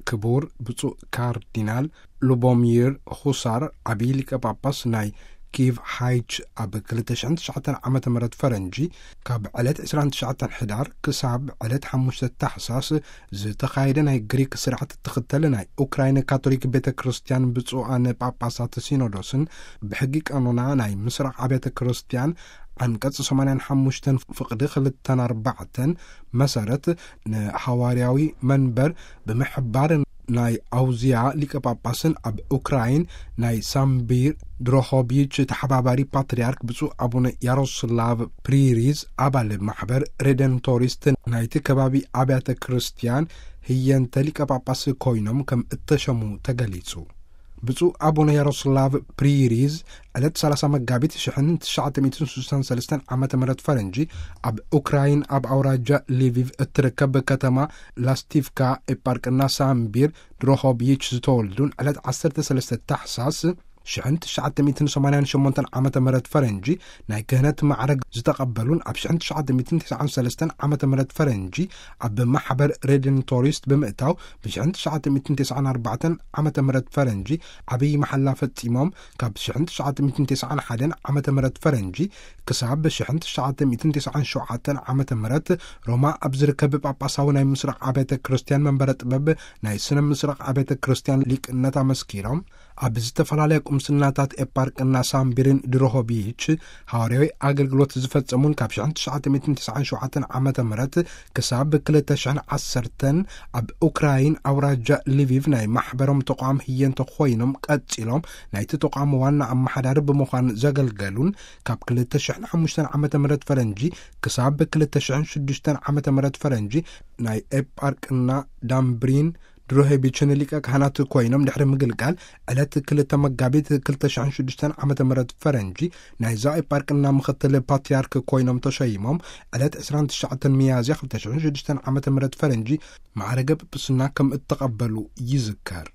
ክቡር ብፁዕ ካርዲናል ሉቦሚር ሁሳር፣ ዓብዪ ሊቀ ጳጳስ ናይ ኪቭ ሃይች፣ ኣብ ክልተ ሽሕን ትሽዓተን ዓመተ ምህረት ፈረንጂ፣ ካብ ዕለት ዕስራን ትሽዓተን ሕዳር ክሳብ ዕለት ሓሙሽተ ታሕሳስ ዝተኻየደ ናይ ግሪክ ስርዓት እትኽተል ናይ ኡክራይን ካቶሊክ ቤተ ክርስቲያን ብፁዓን ጳጳሳት ሲኖዶስን ብሕጊ ቀኖና ናይ ምስራቕ ኣብያተ ክርስቲያን ዓንቀጽ ሰማንያን ሓሙሽተን ፍቕዲ ክልተን ኣርባዕተን መሰረት ንሃዋርያዊ መንበር ብምሕባር ናይ ኣውዝያ ሊቀ ጳጳስን ኣብ ኡክራይን ናይ ሳምቢር ድሮሆቢች ተሓባባሪ ፓትርያርክ ብፁዕ ኣቡነ ያሮስላቭ ፕሪሪዝ ኣባል ማሕበር ሬደንቶሪስት ናይቲ ከባቢ ኣብያተ ክርስቲያን ህየንተ ሊቀ ጳጳስ ኮይኖም ከም እተሸሙ ተገሊጹ። ብፁዕ ኣቡነ ያሮስላቭ ፕሪሪዝ ዕለት ሰላሳ መጋቢት ሽሕን ትሽዓተ ሚእትን ስሳን ሰለስተን ዓመተ ምህረት ፈረንጂ ኣብ ኡክራይን ኣብ ኣውራጃ ሊቪቭ እትርከብ ከተማ ላስቲቭካ ኤጳርቅና ሳምቢር ድሮሆቢች ዝተወልዱን ዕለት ዓሰርተ ሰለስተ ታሕሳስ ሽሕን ትሽዓተ ሚእትን ሰማንያን ሸሞንተን ዓመተ ምህረት ፈረንጂ ናይ ክህነት ማዕረግ ዝተቐበሉን ኣብ ሽሕን ትሽዓተ ሚእትን ተስዓን ሰለስተን ዓመተ ምህረት ፈረንጂ ኣብ ማሕበር ሬደንቶሪስት ብምእታው ብሽሕን ትሽዓተ ሚእትን ተስዓን ኣርባዕተን ዓመተ ምህረት ፈረንጂ ዓብዪ መሓላ ፈጺሞም ካብ ሽሕን ትሽዓተ ሚእትን ተስዓን ሓደን ዓመተ ምህረት ፈረንጂ ክሳብ ሽሕን ትሽዓተ ሚእትን ተስዓን ሸውዓተን ዓመተ ምህረት ሮማ ኣብ ዝርከብ ጳጳሳዊ ናይ ምስራቕ ኣብያተ ክርስቲያን መንበረ ጥበብ ናይ ስነ ምስራቕ ኣብያተ ክርስቲያን ሊቅነት ኣመስኪሮም ኣብ ዝተፈላለያ ቁምስናታት ኤጳርቅና ሳምቢርን ድሮሆቢች ሃዋርያዊ ኣገልግሎት ዝፈጸሙን ካብ ሽሕን ትሽዓተ ሚእትን ተስዓን ሸውዓተን ዓመተ ምህረት ክሳብ ክልተ ሽሕን ዓሰርተን ኣብ ኡክራይን ኣውራጃ ሊቪቭ ናይ ማሕበሮም ተቋም ህየንተ ኮይኖም ቀጺሎም ናይቲ ተቋም ዋና ኣመሓዳሪ ብምዃን ዘገልገሉን ካብ ክልተ ሽሕን ሓሙሽተን ዓመተ ምህረት ፈረንጂ ክሳብ ክልተ ሽሕን ሽዱሽተን ዓመተ ምህረት ፈረንጂ ናይ ኤጳርቅና ዳምብሪን ድሮሄቢችን ሊቀ ካህናት ኮይኖም ድሕሪ ምግልጋል ዕለት ክልተ መጋቢት ክልተ ሽሕን ሽዱሽተን ዓመተ ምህረት ፈረንጂ ናይዛ ኤጳርቅና ምኽትል ፓትርያርክ ኮይኖም ተሸይሞም ዕለት ዕስራን ትሽዓተን ሚያዝያ ክልተ ሽሕን ሽዱሽተን ዓመተ ምህረት ፈረንጂ ማዕረገ ጵጵስና ከም እተቐበሉ ይዝከር።